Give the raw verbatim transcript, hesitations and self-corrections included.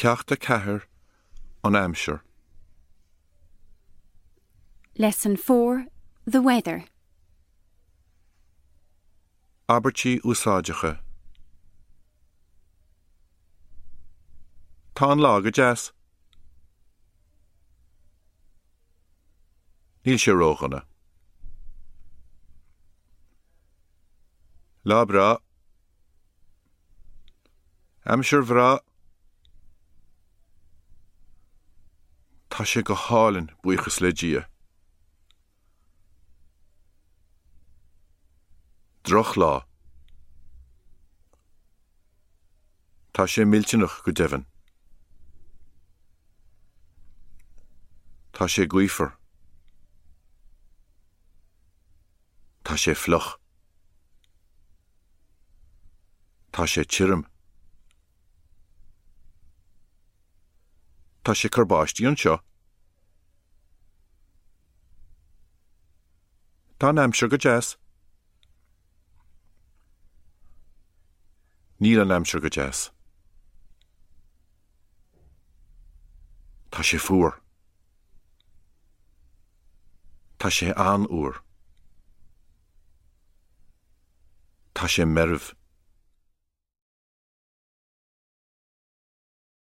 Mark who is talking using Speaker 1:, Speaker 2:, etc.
Speaker 1: Ceacht a ceathair an aimsir.
Speaker 2: Lesson four The Weather.
Speaker 1: Abairtí úsáideacha. Tá an lá go deas. Níl sé ródhona. Lá breá. Aimsir bhreá. Tá sé go hálainn buíochas le Dia. Drochlá. Tá sé millteanach go deimhin. Tá sé gaofar. Tá sé fliuch. Tá sé tirim. Tá sé ag cur báistí anseo. Tá an aimsir go deas. Níl an aimsir go deas. Tá sé fuar. Tá sé an-fhuar. Tá sé marbh.